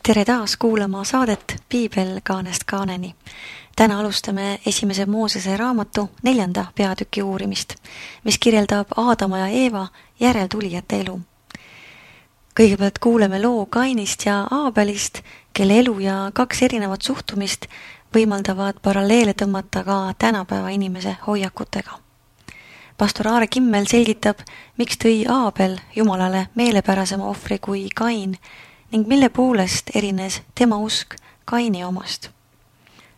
Tere taas kuulama saadet Piibel kaanest kaaneni. Täna alustame esimese Moosese raamatu 4. peatüki uurimist, mis kirjeldab Aadama ja Eeva järeltulijate elu. Kõigepealt kuuleme loo Kainist ja Aabelist, kelle elu ja 2 erinevat suhtumist võimaldavad paralleele tõmmata ka tänapäeva inimese hoiakutega. Pastor Aare Kimmel selgitab, miks tõi Aabel Jumalale meelepärasema ohvri kui Kain ning mille poolest erines tema usk Kaini omast.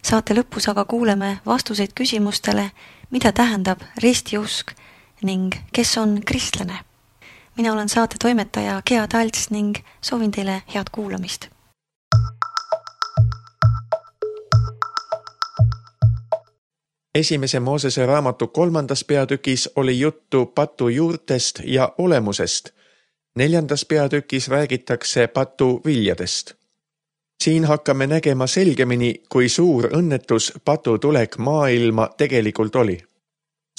Saate lõpus aga kuuleme vastuseid küsimustele, mida tähendab ristiusk ning kes on kristlane. Mina olen saate toimetaja Gea Talts ning soovin teile head kuulamist. Esimese Moosese raamatu 3. peatükis oli juttu patu juurtest ja olemusest. 4. peatükis räägitakse patu viljadest. Siin hakkame nägema selgemini, kui suur õnnetus patu tulek maailma tegelikult oli.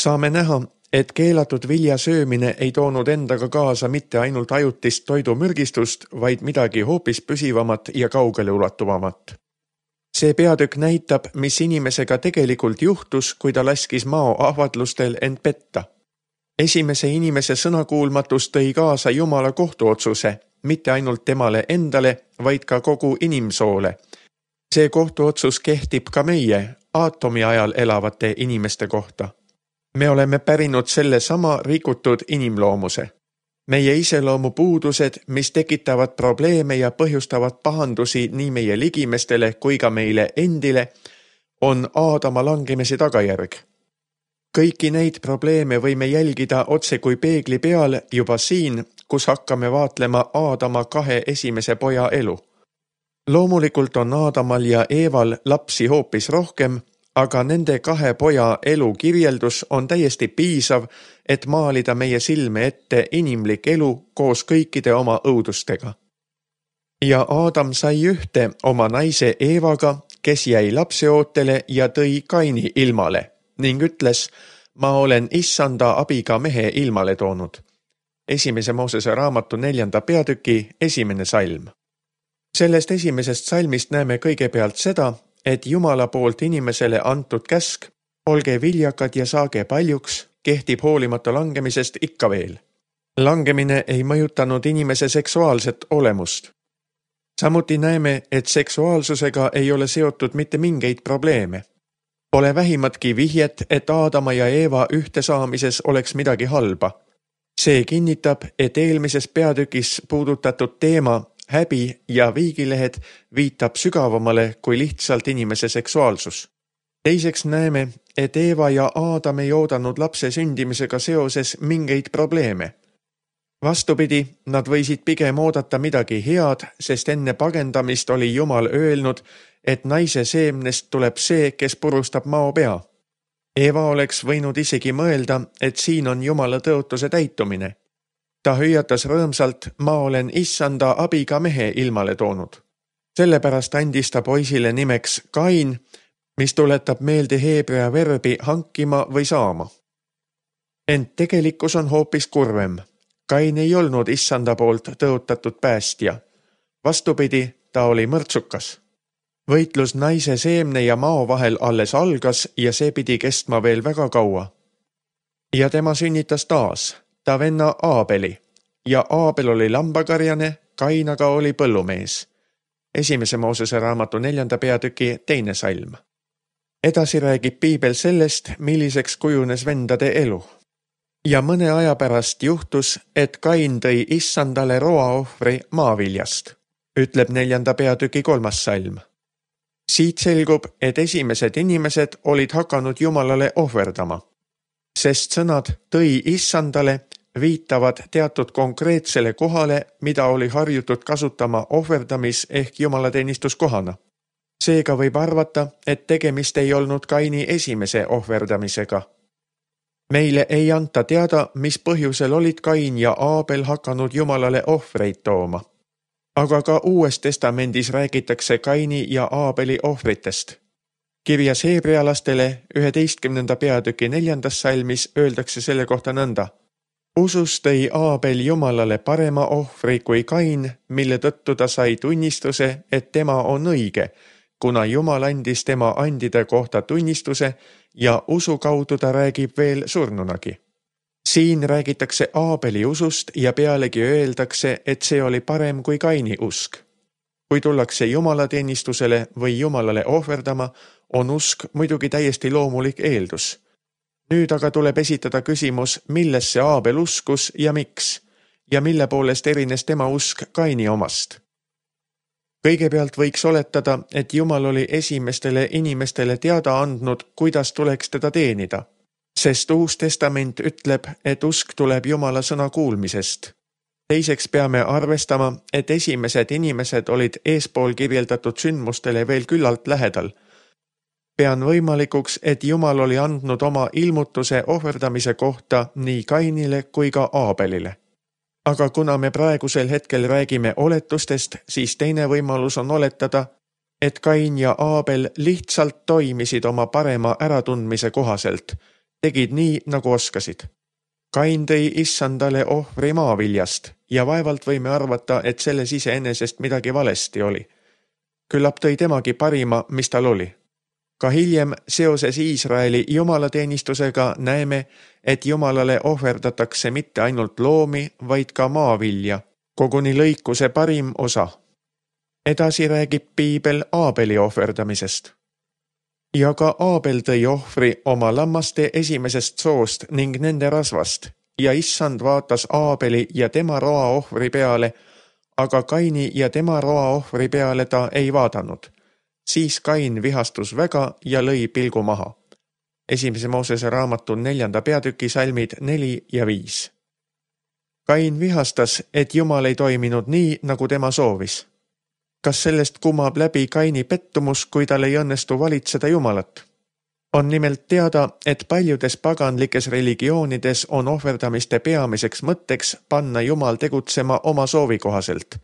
Saame näha, et keelatud vilja söömine ei toonud endaga kaasa mitte ainult ajutist toidumürgistust, vaid midagi hoopis püsivamat ja kaugele ulatuvamat. See peatükk näitab, mis inimesega tegelikult juhtus, kui ta laskis mao ahvatlustel end petta. Esimese inimese sõnakuulmatus tõi kaasa Jumala kohtuotsuse, mitte ainult temale endale, vaid ka kogu inimsoole. See kohtuotsus kehtib ka meie, aatomi ajal elavate inimeste kohta. Me oleme pärinud selle sama rikutud inimloomuse. Meie iseloomu puudused, mis tekitavad probleeme ja põhjustavad pahandusi nii meie ligimestele kui ka meile endile, on Aadama langemise tagajärg. Kõiki neid probleeme võime jälgida otse kui peegli peal juba siin, kus hakkame vaatlema Aadama 2 esimese poja elu. Loomulikult on Aadamal ja Eeval lapsi hoopis rohkem, aga nende 2 poja elu kirjeldus on täiesti piisav, et maalida meie silme ette inimlik elu koos kõikide oma õudustega. Ja Aadam sai ühte oma naise Eevaga, kes jäi lapseootele ja tõi Kaini ilmale ning ütles, ma olen issanda abiga mehe ilmale toonud. Esimese Moosese raamatu 4. peatüki 1. salm. Sellest esimesest salmist näeme kõigepealt seda, et Jumala poolt inimesele antud käsk, olge viljakad ja saage paljuks, kehtib hoolimata langemisest ikka veel. Langemine ei mõjutanud inimese seksuaalset olemust. Samuti näeme, et seksuaalsusega ei ole seotud mitte mingeid probleeme. Pole vähimatki vihjet, et Aadama ja Eeva ühtesaamises oleks midagi halba. See kinnitab, et eelmises peatükis puudutatud teema, häbi ja viigilehed viitab sügavamale kui lihtsalt inimese seksuaalsus. Teiseks näeme, et Eeva ja Aadam ei oodanud lapse sündimisega seoses mingeid probleeme. Vastupidi, nad võisid pigem oodata midagi head, sest enne pagendamist oli Jumal öelnud, et naise seemnest tuleb see, kes purustab mao pea. Eeva oleks võinud isegi mõelda, et siin on Jumala tõotuse täitumine. Ta hüüatas rõõmsalt, ma olen issanda abiga mehe ilmale toonud. Sellepärast andis ta poisile nimeks Kain, mis tuletab meelde heebrea verbi hankima või saama. Ent tegelikkus on hoopis kurvem. Kain ei olnud issanda poolt tõotatud päästja. Vastupidi, ta oli mõrtsukas. Võitlus naise seemne ja mao vahel alles algas ja see pidi kestma veel väga kaua. Ja tema sünnitas taas, ta venna Aabeli, ja Aabel oli lambakarjane, Kain aga oli põllumees. Esimese Moosese raamatu 4. peatüki 2. salm. Edasi räägib Piibel sellest, milliseks kujunes vendade elu. Ja mõne aja pärast juhtus, et Kain tõi issandale roaohvri maaviljast, ütleb 4. peatüki 3. salm. Siit selgub, et esimesed inimesed olid hakanud Jumalale ohverdama, sest sõnad tõi issandale viitavad teatud konkreetsele kohale, mida oli harjutud kasutama ohverdamis- ehk jumalateenistuskohana. Seega võib arvata, et tegemist ei olnud Kaini esimese ohverdamisega. Meile ei anta teada, mis põhjusel olid Kain ja Aabel hakanud Jumalale ohvreid tooma. Aga ka Uues testamendis räägitakse Kaini ja Aabeli ohvritest. Kirjas heebrealastele 11. peatüki 4. salmis öeldakse selle kohta nõnda. Usus tõi Aabel Jumalale parema ohvri kui Kain, mille tõttu ta sai tunnistuse, et tema on õige, kuna Jumal andis tema andide kohta tunnistuse ja usu kaudu ta räägib veel surnunagi. Siin räägitakse Aabeli usust ja pealegi öeldakse, et see oli parem kui Kaini usk. Kui tullakse jumalateenistusele või Jumalale ohverdama, on usk muidugi täiesti loomulik eeldus. Nüüd aga tuleb esitada küsimus, millesse Aabel uskus ja miks, ja mille poolest erines tema usk Kaini omast. Kõigepealt võiks oletada, et Jumal oli esimestele inimestele teada andnud, kuidas tuleks teda teenida, sest Uus Testament ütleb, et usk tuleb Jumala sõna kuulmisest. Teiseks peame arvestama, et esimesed inimesed olid eespool kirjeldatud sündmustele veel küllalt lähedal. Pean võimalikuks, et Jumal oli andnud oma ilmutuse ohverdamise kohta nii Kainile kui ka Aabelile. Aga kuna me praegusel hetkel räägime oletustest, siis teine võimalus on oletada, et Kain ja Aabel lihtsalt toimisid oma parema äratundmise kohaselt, tegid nii, nagu oskasid. Kain tõi issandale ohvri maaviljast ja vaevalt võime arvata, et selles iseenesest midagi valesti oli. Küllap tõi temagi parima, mis tal oli. Ka hiljem seoses Iisraeli jumalateenistusega näeme, et Jumalale ohverdatakse mitte ainult loomi, vaid ka maavilja, koguni lõikuse parim osa. Edasi räägib Piibel Aabeli ohverdamisest. Ja ka Aabel tõi ohvri oma lammaste esimesest soost ning nende rasvast ja issand vaatas Aabeli ja tema roa ohvri peale, aga Kaini ja tema roa ohvri peale ta ei vaadanud. Siis Kain vihastus väga ja lõi pilgu maha. 1. Moosese raamatu 4. peatüki salmid 4 ja 5. Kain vihastas, et Jumal ei toiminud nii, nagu tema soovis. Kas sellest kumab läbi Kaini pettumus, kui tal ei õnnestu valitseda Jumalat? On nimelt teada, et paljudes paganlikes religioonides on ohverdamiste peamiseks mõtteks panna Jumal tegutsema oma soovi kohaselt,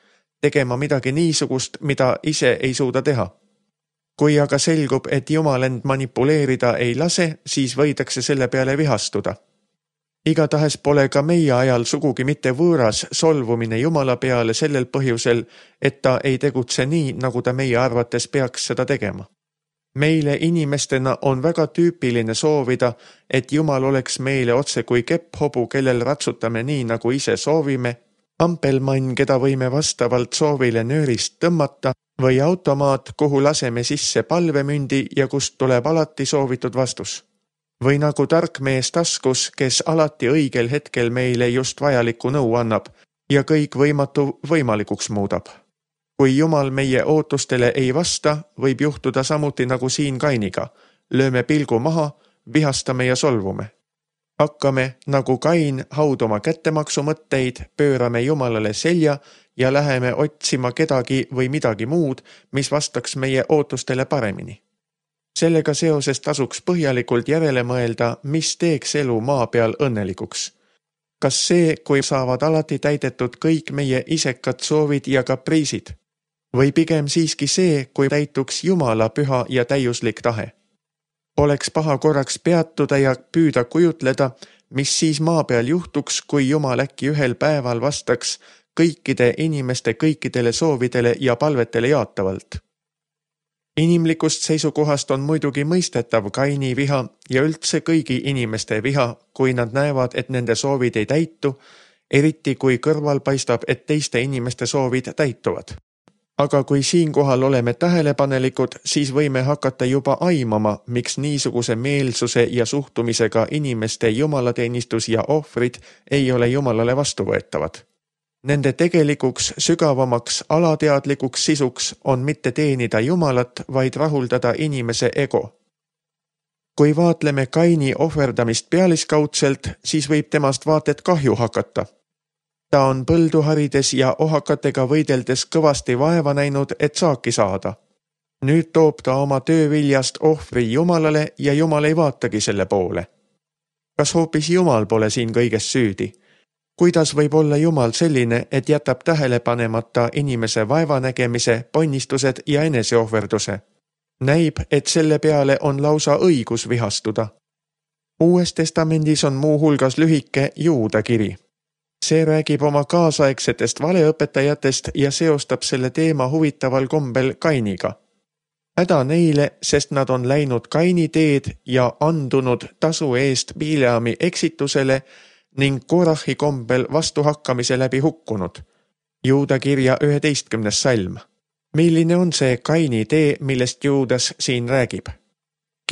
tegema midagi niisugust, mida ise ei suuda teha. Kui aga selgub, et Jumal end manipuleerida ei lase, siis võidakse selle peale vihastuda. Igatahes pole ka meie ajal sugugi mitte võõras solvumine Jumala peale sellel põhjusel, et ta ei tegutse nii, nagu ta meie arvates peaks seda tegema. Meile inimestena on väga tüüpiline soovida, et Jumal oleks meile otse kui kepphobu, kellel ratsutame nii, nagu ise soovime, ampelmann, keda võime vastavalt soovile nöörist tõmmata, või automaat, kuhu laseme sisse palvemündi ja kust tuleb alati soovitud vastus. Või nagu tark mees taskus, kes alati õigel hetkel meile just vajalikku nõu annab ja kõik võimatu võimalikuks muudab. Kui Jumal meie ootustele ei vasta, võib juhtuda samuti nagu siin Kainiga. Lööme pilgu maha, vihastame ja solvume. Hakkame, nagu Kain, hauduma kättemaksu mõtteid, pöörame Jumalale selja ja läheme otsima kedagi või midagi muud, mis vastaks meie ootustele paremini. Sellega seoses tasuks põhjalikult järele mõelda, mis teeks elu maa peal õnnelikuks. Kas see, kui saavad alati täidetud kõik meie isekad soovid ja kapriisid? Või pigem siiski see, kui täituks Jumala püha ja täiuslik tahe? Oleks paha korraks peatuda ja püüda kujutleda, mis siis maa peal juhtuks, kui Jumal äkki ühel päeval vastaks kõikide inimeste kõikidele soovidele ja palvetele jaatavalt. Inimlikust seisukohast on muidugi mõistetav Kaini viha ja üldse kõigi inimeste viha, kui nad näevad, et nende soovid ei täitu, eriti kui kõrval paistab, et teiste inimeste soovid täituvad. Aga kui siinkohal oleme tähelepanelikud, siis võime hakata juba aimama, miks niisuguse meelsuse ja suhtumisega inimeste jumalateenistus ja ohvrid ei ole Jumalale vastuvõetavad. Nende tegelikuks, sügavamaks, alateadlikuks sisuks on mitte teenida Jumalat, vaid rahuldada inimese ego. Kui vaatleme Kaini ohverdamist pealiskaudselt, siis võib temast vaated kahju hakata. Ta on põldu harides ja ohakatega võideldes kõvasti vaeva näinud, et saaki saada. Nüüd toob ta oma tööviljast ohvri Jumalale ja Jumal ei vaatagi selle poole. Kas hoopis Jumal pole siin kõiges süüdi? Kuidas võib olla Jumal selline, et jätab tähele panemata inimese vaevanägemise, ponnistused ja eneseohverduse? Näib, et selle peale on lausa õigus vihastuda. Uues testamendis on muu hulgas lühike Juuda kiri. See räägib oma kaasaegsetest valeõpetajatest ja seostab selle teema huvitaval kombel Kainiga. Häda neile, sest nad on läinud Kaini teed ja andunud tasu eest Bileami eksitusele ning Korahi kombel vastuhakkamise läbi hukkunud. Juuda kirja 11. salm. Milline on see Kaini tee, millest Juudas siin räägib?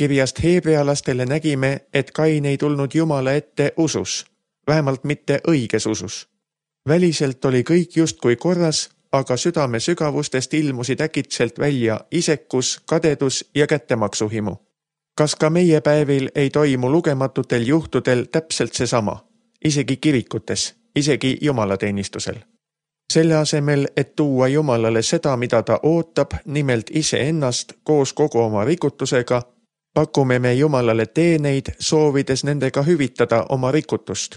Kirjast heebrealastele nägime, et Kain ei tulnud Jumala ette usus, vähemalt mitte õiges usus. Väliselt oli kõik justkui korras, aga südame sügavustest ilmusid äkitselt välja isekus, kadedus ja kättemaksuhimu. Kas ka meie päevil ei toimu lugematutel juhtudel täpselt seesama, isegi kirikutes, isegi jumalateenistusel? Selle asemel, et tuua Jumalale seda, mida ta ootab, nimelt iseennast koos kogu oma rikutusega, pakume me Jumalale teeneid, soovides nendega hüvitada oma rikutust.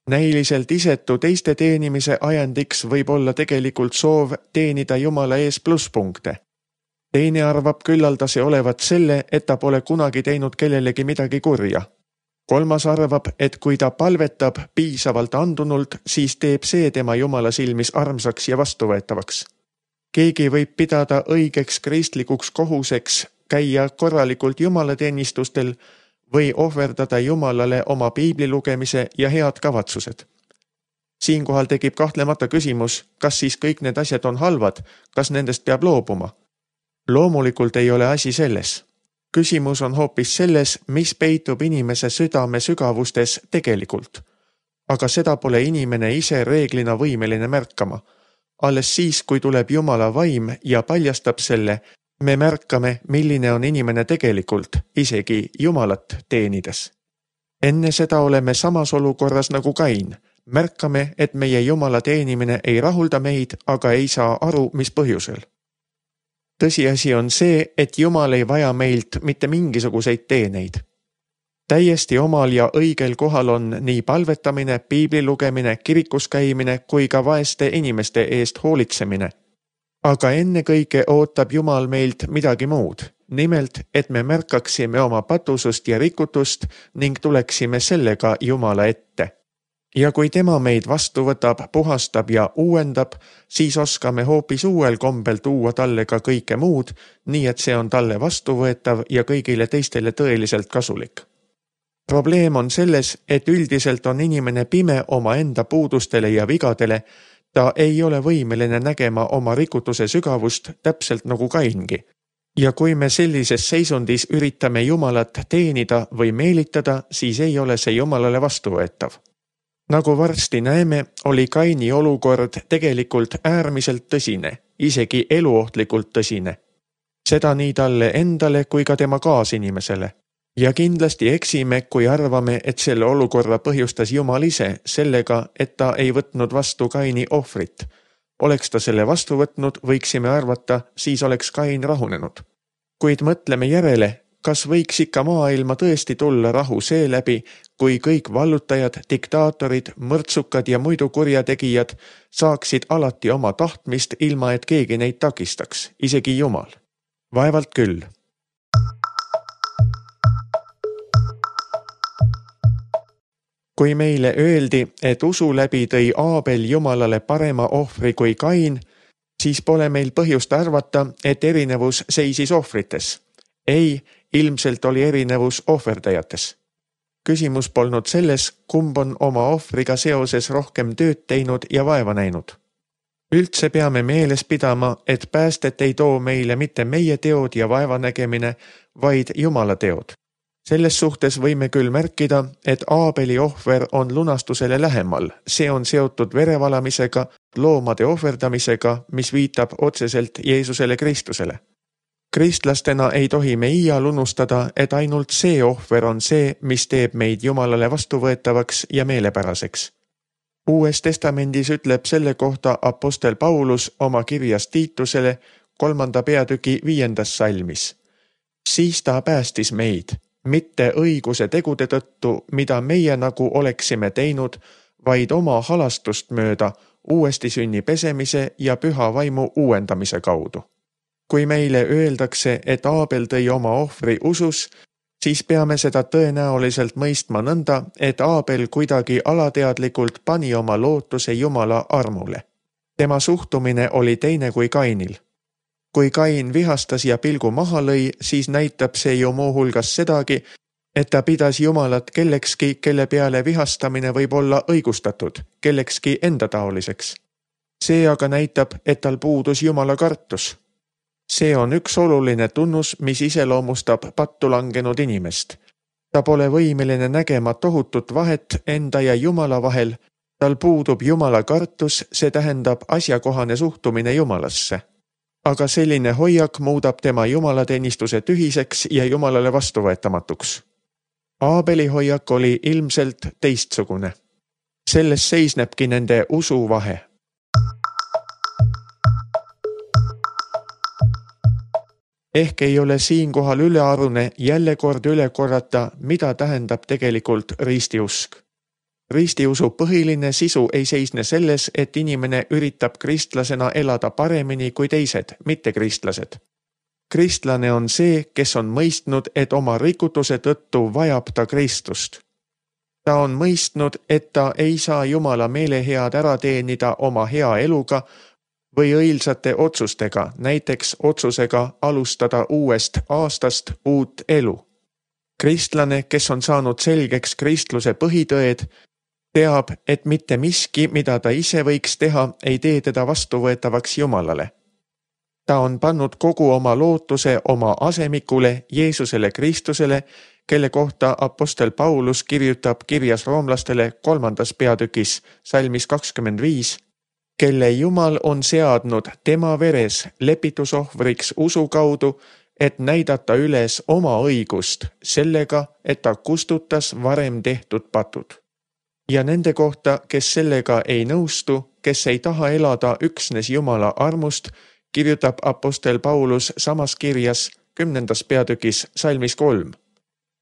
Näiliselt isetu teiste teenimise ajendiks võib olla tegelikult soov teenida Jumala ees plusspunkte. Teine arvab küllaldase olevat selle, et ta pole kunagi teinud kellelegi midagi kurja. Kolmas arvab, et kui ta palvetab piisavalt andunult, siis teeb see tema Jumala silmis armsaks ja vastuvõetavaks. Keegi võib pidada õigeks kristlikuks kohuseks käia korralikult jumalateenistustel või ohverdada Jumalale oma piibli lugemise ja head kavatsused. Siinkohal tekib kahtlemata küsimus, kas siis kõik need asjad on halvad, kas nendest peab loobuma? Loomulikult ei ole asi selles. Küsimus on hoopis selles, mis peitub inimese südame sügavustes tegelikult. Aga seda pole inimene ise reeglina võimeline märkama. Alles siis, kui tuleb Jumala vaim ja paljastab selle, me märkame, milline on inimene tegelikult, isegi Jumalat teenides. Enne seda oleme samas olukorras nagu Kain. Märkame, et meie Jumala teenimine ei rahulda meid, aga ei saa aru, mis põhjusel. Tõsiasi on see, et Jumal ei vaja meilt mitte mingisuguseid teeneid. Täiesti omal ja õigel kohal on nii palvetamine, piibli lugemine, kirikus käimine kui ka vaeste inimeste eest hoolitsemine. Aga ennekõike ootab Jumal meilt midagi muud, nimelt, et me märkaksime oma patusust ja rikutust ning tuleksime sellega Jumala ette. Ja kui tema meid vastu võtab, puhastab ja uuendab, siis oskame hoopis uuel kombel tuua talle ka kõike muud, nii et see on talle vastuvõetav ja kõigile teistele tõeliselt kasulik. Probleem on selles, et üldiselt on inimene pime oma enda puudustele ja vigadele, ta ei ole võimeline nägema oma rikutuse sügavust täpselt nagu Kaingi. Ja kui me sellises seisundis üritame Jumalat teenida või meelitada, siis ei ole see Jumalale vastuvõetav. Nagu varsti näeme, oli Kaini olukord tegelikult äärmiselt tõsine, isegi eluohtlikult tõsine. Seda nii talle endale kui ka tema kaasinimesele. Ja kindlasti eksime, kui arvame, et selle olukorra põhjustas Jumal ise sellega, et ta ei võtnud vastu Kaini ohvrit. Oleks ta selle vastu võtnud, võiksime arvata, siis oleks Kain rahunenud. Kuid mõtleme järele, kas võiks ikka maailma tõesti tulla rahu seeläbi, kui kõik vallutajad, diktaatorid, mõrtsukad ja muidu kurjategijad saaksid alati oma tahtmist, ilma et keegi neid takistaks, isegi Jumal. Vaevalt küll. Kui meile öeldi, et usu läbi tõi Aabel Jumalale parema ohvri kui Kain, siis pole meil põhjust arvata, et erinevus seisis ohvrites. Ei, ilmselt oli erinevus ohverdajates. Küsimus polnud selles, kumb on oma ohvriga seoses rohkem tööd teinud ja vaeva näinud. Üldse peame meeles pidama, et päästet ei too meile mitte meie teod ja vaevanägemine, vaid Jumala teod. Selles suhtes võime küll märkida, et Aabeli ohver on lunastusele lähemal. See on seotud verevalamisega, loomade ohverdamisega, mis viitab otseselt Jeesusele Kristusele. Kristlastena ei tohi me iial unustada, et ainult see ohver on see, mis teeb meid Jumalale vastuvõetavaks ja meelepäraseks. Uues testamendis ütleb selle kohta apostel Paulus oma kirjas Tiitusele 3. peatüki 5. salmis. Siis ta päästis meid, mitte õiguse tegude tõttu, mida meie nagu oleksime teinud, vaid oma halastust mööda, uuesti sünni pesemise ja püha vaimu uuendamise kaudu. Kui meile öeldakse, et Aabel tõi oma ohvri usus, siis peame seda tõenäoliselt mõistma nõnda, et Aabel kuidagi alateadlikult pani oma lootuse Jumala armule. Tema suhtumine oli teine kui Kainil. Kui Kain vihastas ja pilgu maha lõi, siis näitab see ju muuhulgas sedagi, et ta pidas Jumalat kellekski, kelle peale vihastamine võib olla õigustatud, kellekski endataoliseks. See aga näitab, et tal puudus Jumala kartus. See on üks oluline tunnus, mis iseloomustab pattu langenud inimest. Ta pole võimeline nägema tohutut vahet enda ja Jumala vahel, tal puudub Jumala kartus, see tähendab asjakohane suhtumine Jumalasse. Aga selline hoiak muudab tema jumalateenistuse tühiseks ja Jumalale vastuvõetamatuks. Aabeli hoiak oli ilmselt teistsugune. Selles seisnebki nende usuvahe. Ehk ei ole siinkohal ülearune jälle kord üle korrata, mida tähendab tegelikult ristiusk. Ristiusu põhiline sisu ei seisne selles, et inimene üritab kristlasena elada paremini kui teised, mitte kristlased. Kristlane on see, kes on mõistnud, et oma rikutuse tõttu vajab ta Kristust. Ta on mõistnud, et ta ei saa Jumala meelehead ära teenida oma hea eluga või õilsate otsustega, näiteks otsusega alustada uuest aastast uut elu. Kristlane, kes on saanud selgeks kristluse põhitõed, teab, et mitte miski, mida ta ise võiks teha, ei tee teda vastuvõetavaks Jumalale. Ta on pannud kogu oma lootuse oma asemikule, Jeesusele Kristusele, kelle kohta apostel Paulus kirjutab kirjas roomlastele 3. peatükis, salmis 25, kelle Jumal on seadnud tema veres lepitusohvriks usu kaudu, et näidata üles oma õigust sellega, et ta kustutas varem tehtud patud. Ja nende kohta, kes sellega ei nõustu, kes ei taha elada üksnes Jumala armust, kirjutab apostel Paulus samas kirjas 10. peatükis salmis 3.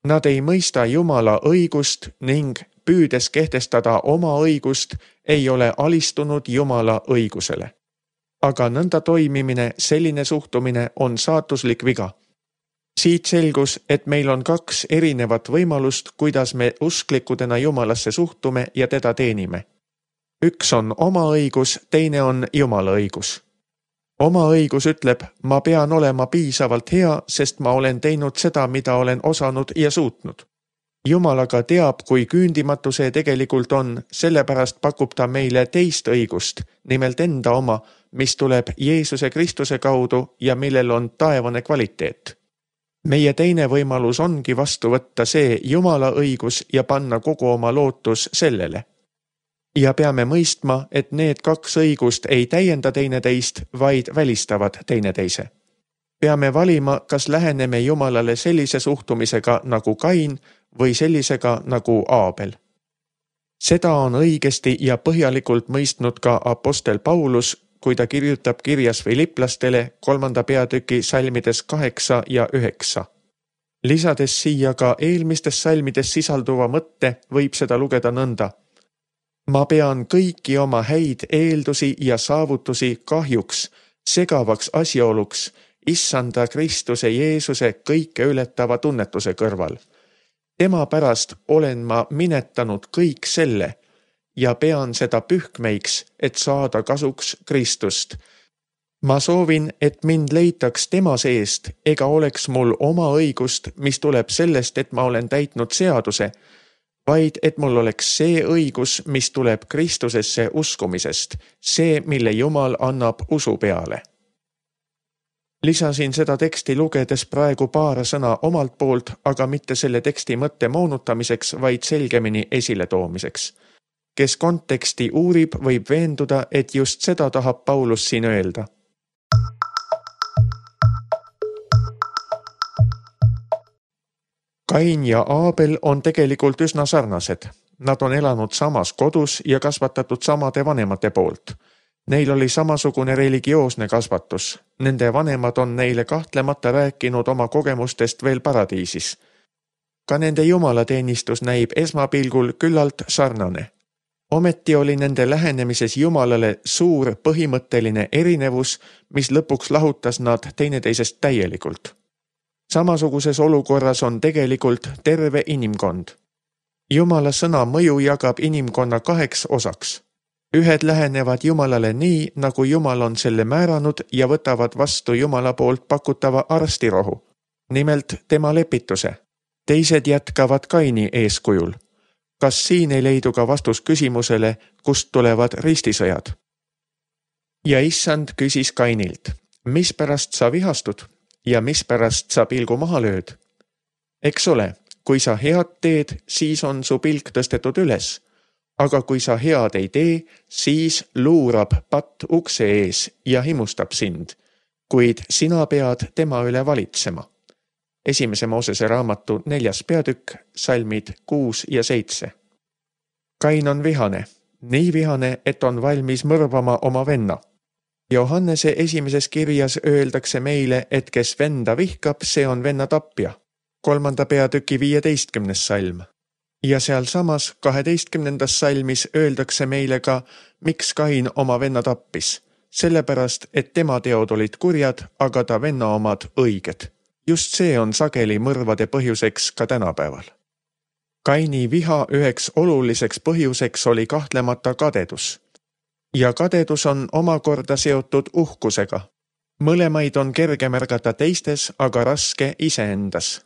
Nad ei mõista Jumala õigust ning püüdes kehtestada oma õigust, ei ole alistunud Jumala õigusele. Aga nõnda toimimine, selline suhtumine on saatuslik viga. Siit selgus, et meil on 2 erinevat võimalust, kuidas me usklikudena Jumalasse suhtume ja teda teenime. Üks on oma õigus, teine on Jumala õigus. Oma õigus ütleb, ma pean olema piisavalt hea, sest ma olen teinud seda, mida olen osanud ja suutnud. Jumal aga teab, kui küündimatu see tegelikult on, sellepärast pakub ta meile teist õigust, nimelt enda oma, mis tuleb Jeesuse Kristuse kaudu ja millel on taevane kvaliteet. Meie teine võimalus ongi vastu võtta see Jumala õigus ja panna kogu oma lootus sellele. Ja peame mõistma, et need 2 õigust ei täienda teineteist, vaid välistavad teineteise. Peame valima, kas läheneme Jumalale sellise suhtumisega nagu Kain või sellisega nagu Aabel. Seda on õigesti ja põhjalikult mõistnud ka apostel Paulus, kui ta kirjutab kirjas Filiplastele 3. peatüki salmides 8 ja 9. Lisades siia ka eelmistes salmides sisalduva mõtte, võib seda lugeda nõnda. Ma pean kõiki oma häid eeldusi ja saavutusi kahjuks, segavaks asjaoluks, Issanda Kristuse Jeesuse kõike ületava tunnetuse kõrval. Tema pärast olen ma minetanud kõik selle ja pean seda pühkmeiks, et saada kasuks Kristust. Ma soovin, et mind leitaks tema seest, ega oleks mul oma õigust, mis tuleb sellest, et ma olen täitnud seaduse, vaid et mul oleks see õigus, mis tuleb Kristusesse uskumisest, see, mille Jumal annab usu peale. Lisasin seda teksti lugedes praegu paar sõna omalt poolt, aga mitte selle teksti mõtte moonutamiseks, vaid selgemini esiletoomiseks. Kes konteksti uurib, võib veenduda, et just seda tahab Paulus siin öelda. Kain ja Aabel on tegelikult üsna sarnased. Nad on elanud samas kodus ja kasvatatud samade vanemate poolt. Neil oli samasugune religioosne kasvatus. Nende vanemad on neile kahtlemata rääkinud oma kogemustest veel paradiisis. Ka nende jumalateenistus näib esmapilgul küllalt sarnane. Ometi oli nende lähenemises Jumalale suur põhimõtteline erinevus, mis lõpuks lahutas nad teineteisest täielikult. Samasuguses olukorras on tegelikult terve inimkond. Jumala sõna mõju jagab inimkonna 2 osaks. Ühed lähenevad Jumalale nii, nagu Jumal on selle määranud ja võtavad vastu Jumala poolt pakutava arstirohu, nimelt tema lepituse. Teised jätkavad Kaini eeskujul. Kas siin ei leidu ka vastus küsimusele, kust tulevad ristisõjad? Ja Issand küsis Kainilt, mispärast sa vihastud ja mispärast sa pilgu maha lööd? Eks ole, kui sa head teed, siis on su pilk tõstetud üles, aga kui sa head ei tee, siis luurab patt ukse ees ja himustab sind, kuid sina pead tema üle valitsema. 1. Moosese raamatu 4. peatükk, salmid 6 ja 7. Kain on vihane, nii vihane, et on valmis mõrvama oma venna. Johannese 1. kirjas öeldakse meile, et kes venda vihkab, see on venna tapja. 3. peatüki 15. salm. Ja sealsamas 12. salmis öeldakse meile ka, miks Kain oma venna tappis. Sellepärast, et tema teod olid kurjad, aga ta venna omad õiged. Just see on sageli mõrvade põhjuseks ka tänapäeval. Kaini viha üheks oluliseks põhjuseks oli kahtlemata kadedus. Ja kadedus on omakorda seotud uhkusega. Mõlemaid on kerge märgata teistes, aga raske iseendas.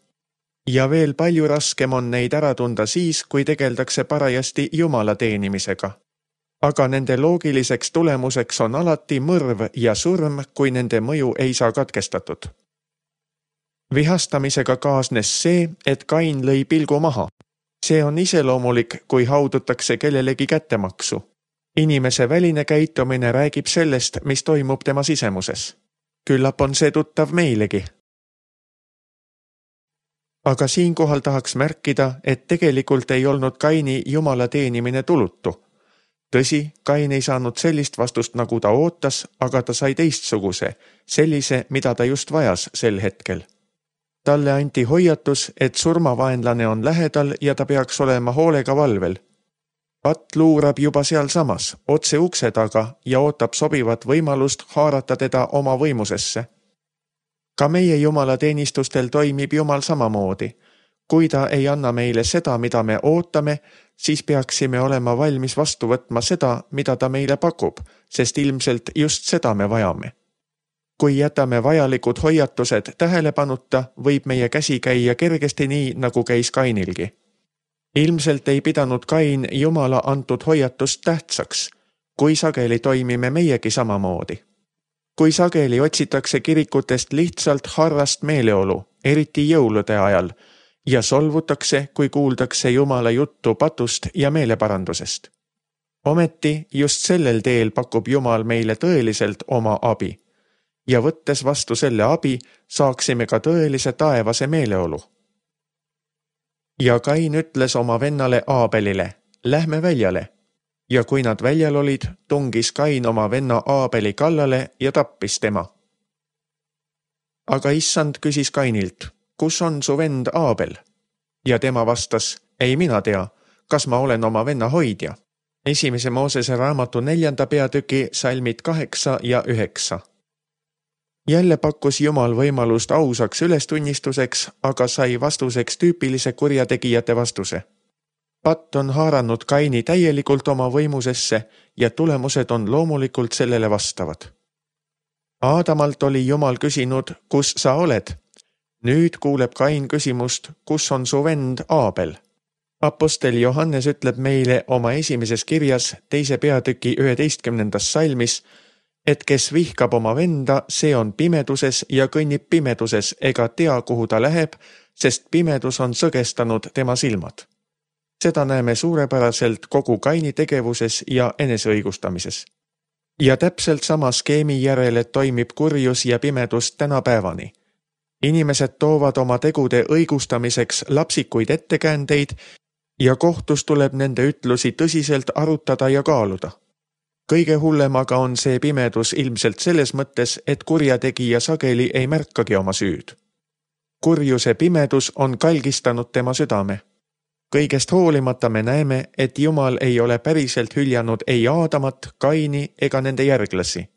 Ja veel palju raskem on neid ära tunda siis, kui tegeldakse parajasti Jumala teenimisega. Aga nende loogiliseks tulemuseks on alati mõrv ja surm, kui nende mõju ei saa katkestatud. Vihastamisega kaasnes see, et Kain lõi pilgu maha. See on iseloomulik, kui haudutakse kellelegi kättemaksu. Inimese väline käitumine räägib sellest, mis toimub tema sisemuses. Küllap on see tuttav meilegi. Aga siinkohal tahaks märkida, et tegelikult ei olnud Kaini Jumala teenimine tulutu. Tõsi, Kain ei saanud sellist vastust, nagu ta ootas, aga ta sai teistsuguse, sellise, mida ta just vajas sel hetkel. Talle anti hoiatus, et surmavaenlane on lähedal ja ta peaks olema hoolega valvel. Patt luurab juba sealsamas, otse ukse taga ja ootab sobivat võimalust haarata teda oma võimusesse. Ka meie Jumala teenistustel toimib Jumal samamoodi. Kui ta ei anna meile seda, mida me ootame, siis peaksime olema valmis vastu võtma seda, mida ta meile pakub, sest ilmselt just seda me vajame. Kui jätame vajalikud hoiatused tähelepanuta, võib meie käsi käia kergesti nii, nagu käis Kainilgi. Ilmselt ei pidanud Kain Jumala antud hoiatust tähtsaks, kui sageli toimime meiegi samamoodi. Kui sageli otsitakse kirikutest lihtsalt harrast meeleolu, eriti jõulude ajal, ja solvutakse, kui kuuldakse Jumala juttu patust ja meeleparandusest. Ometi just sellel teel pakub Jumal meile tõeliselt oma abi. Ja võttes vastu selle abi, saaksime ka tõelise taevase meeleolu. Ja Kain ütles oma vennale Aabelile, lähme väljale. Ja kui nad väljal olid, tungis Kain oma venna Aabeli kallale ja tappis tema. Aga Issand küsis Kainilt, kus on su vend Aabel? Ja tema vastas, ei mina tea, kas ma olen oma venna hoidja. 1. Moosese raamatu 4. peatüki salmid 8 ja 9. Jälle pakkus Jumal võimalust ausaks ülestunnistuseks, aga sai vastuseks tüüpilise kurjategijate vastuse. Patt on haaranud Kaini täielikult oma võimusesse ja tulemused on loomulikult sellele vastavad. Aadamalt oli Jumal küsinud, kus sa oled? Nüüd kuuleb Kain küsimust, kus on su vend Aabel? Apostel Johannes ütleb meile oma 1. kirjas 2. peatüki 11. salmis, et kes vihkab oma venda, see on pimeduses ja kõnnib pimeduses ega tea, kuhu ta läheb, sest pimedus on sõgestanud tema silmad. Seda näeme suurepäraselt kogu Kaini tegevuses ja eneseõigustamises. Ja täpselt sama skeemi järele toimib kurjus ja pimedus tänapäevani. Inimesed toovad oma tegude õigustamiseks lapsikuid ettekäändeid ja kohtus tuleb nende ütlusi tõsiselt arutada ja kaaluda. Kõige hullem aga on see pimedus ilmselt selles mõttes, et kurjategija sageli ei märkagi oma süüd. Kurjuse pimedus on kalgistanud tema südame. Kõigest hoolimata me näeme, et Jumal ei ole päriselt hüljanud ei Aadamat, Kaini ega nende järglasi.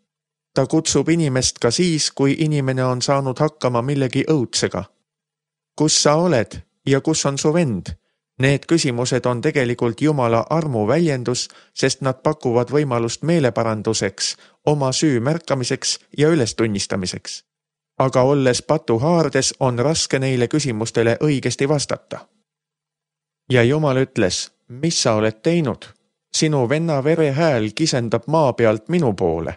Ta kutsub inimest ka siis, kui inimene on saanud hakkama millegi õudsega. kus sa oled ja kus on su vend? Need küsimused on tegelikult Jumala armu väljendus, sest nad pakuvad võimalust meeleparanduseks, oma süü märkamiseks ja ülestunnistamiseks. Aga olles patu haardes, on raske neile küsimustele õigesti vastata. Ja Jumal ütles, mis sa oled teinud? Sinu venna vere hääl kisendab maa pealt minu poole.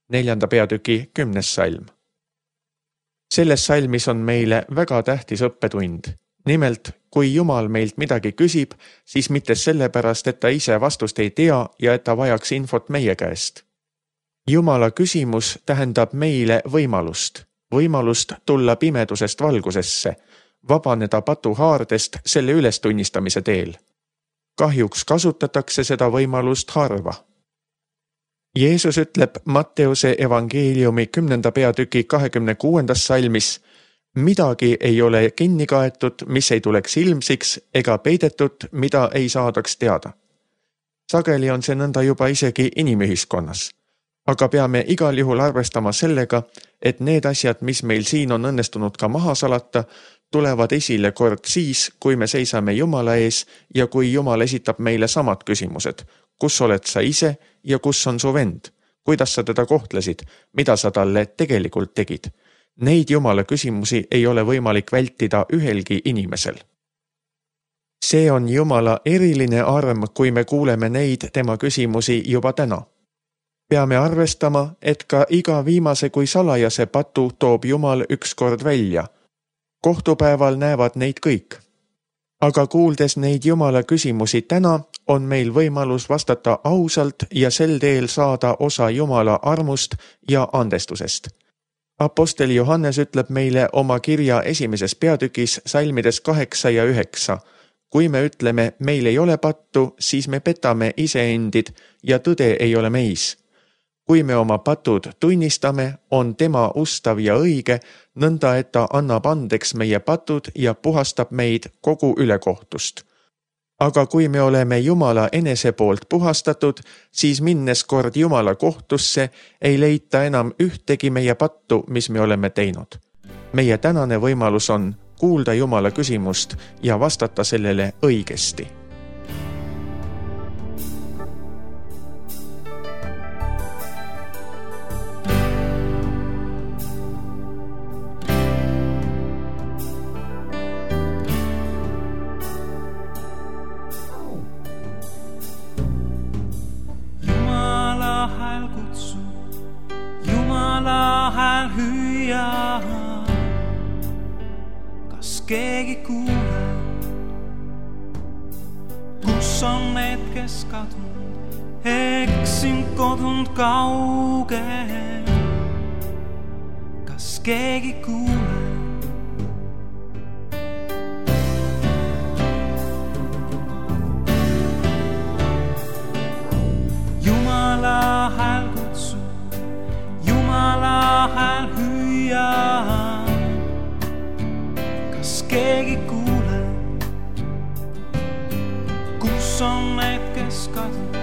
4. peatüki 10. salm. Selles salmis on meile väga tähtis õppetund. Nimelt, kui Jumal meilt midagi küsib, siis mitte sellepärast, et ta ise vastust ei tea ja et ta vajaks infot meie käest. Jumala küsimus tähendab meile võimalust tulla pimedusest valgusesse, vabaneda patu haardest selle ülestunnistamise teel. Kahjuks kasutatakse seda võimalust harva. Jeesus ütleb Matteuse evangeeliumi 10. peatüki 26. salmis, midagi ei ole kinni kaetud, mis ei tuleks ilmsiks, ega peidetud, mida ei saadaks teada. Sageli on see nõnda juba isegi inimühiskonnas. Aga peame igal juhul arvestama sellega, et need asjad, mis meil siin on õnnestunud ka maha salata, tulevad esile kord siis, kui me seisame Jumala ees ja kui Jumal esitab meile samad küsimused. Kus oled sa ise ja kus on su vend? Kuidas sa teda kohtlesid? Mida sa talle tegelikult tegid? Neid Jumala küsimusi ei ole võimalik vältida ühelgi inimesel. See on Jumala eriline arm, kui me kuuleme neid tema küsimusi juba täna. Peame arvestama, et ka iga viimase kui salajase patu toob Jumal ükskord välja. Kohtupäeval näevad neid kõik. Aga kuuldes neid Jumala küsimusi täna, on meil võimalus vastata ausalt ja sel teel saada osa Jumala armust ja andestusest. Apostel Johannes ütleb meile oma kirja 1. peatükis salmides 8 ja 9. Kui me ütleme, meil ei ole pattu, siis me petame iseendid ja tõde ei ole meis. Kui me oma patud tunnistame, on tema ustav ja õige, nõnda et ta annab andeks meie patud ja puhastab meid kogu ülekohtust. Aga kui me oleme Jumala enese poolt puhastatud, siis minnes kord Jumala kohtusse, ei leita enam ühtegi meie pattu, mis me oleme teinud. Meie tänane võimalus on kuulda Jumala küsimust ja vastata sellele õigesti. Hääl hüüa, kas keegi kuuleb, kus on need, kes kadunud, eksinud kodunud kaugel, kas keegi kuuleb. Jumala hääl kutsu, Jumala hääl hüüa, kas keegi kuuleb, kus on need, kes kadunud,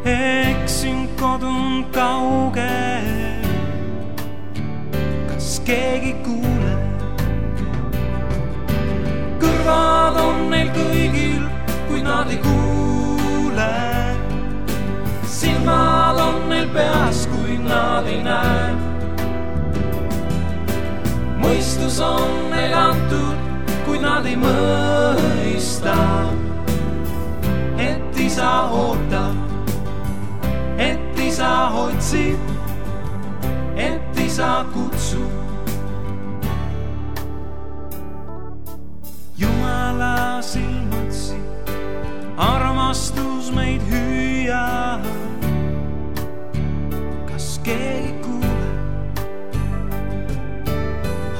eksinud kodunud kaugel, kas keegi kuuleb. Kõrvad on neil kõigil, kui nad ei kuule, silmad on neil peas, kui nad ei näe. Mõistus on neil antud, kui nad ei mõista, et isa ootab, et isa otsib, et isa kutsub. Jumala silmatsi armastus meid hüüa, kas keegi kuuleb.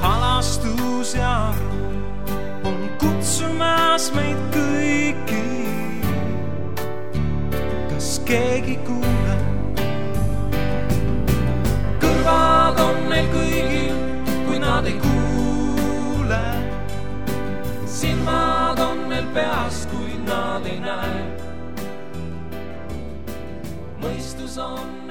Halastus ja arm on kutsumas meid kõiki, kas keegi kuuleb. Kõrvad on neil kõigil, kui nad ei kuule, silmad on neil peas, kui nad ei näe. Mõistus on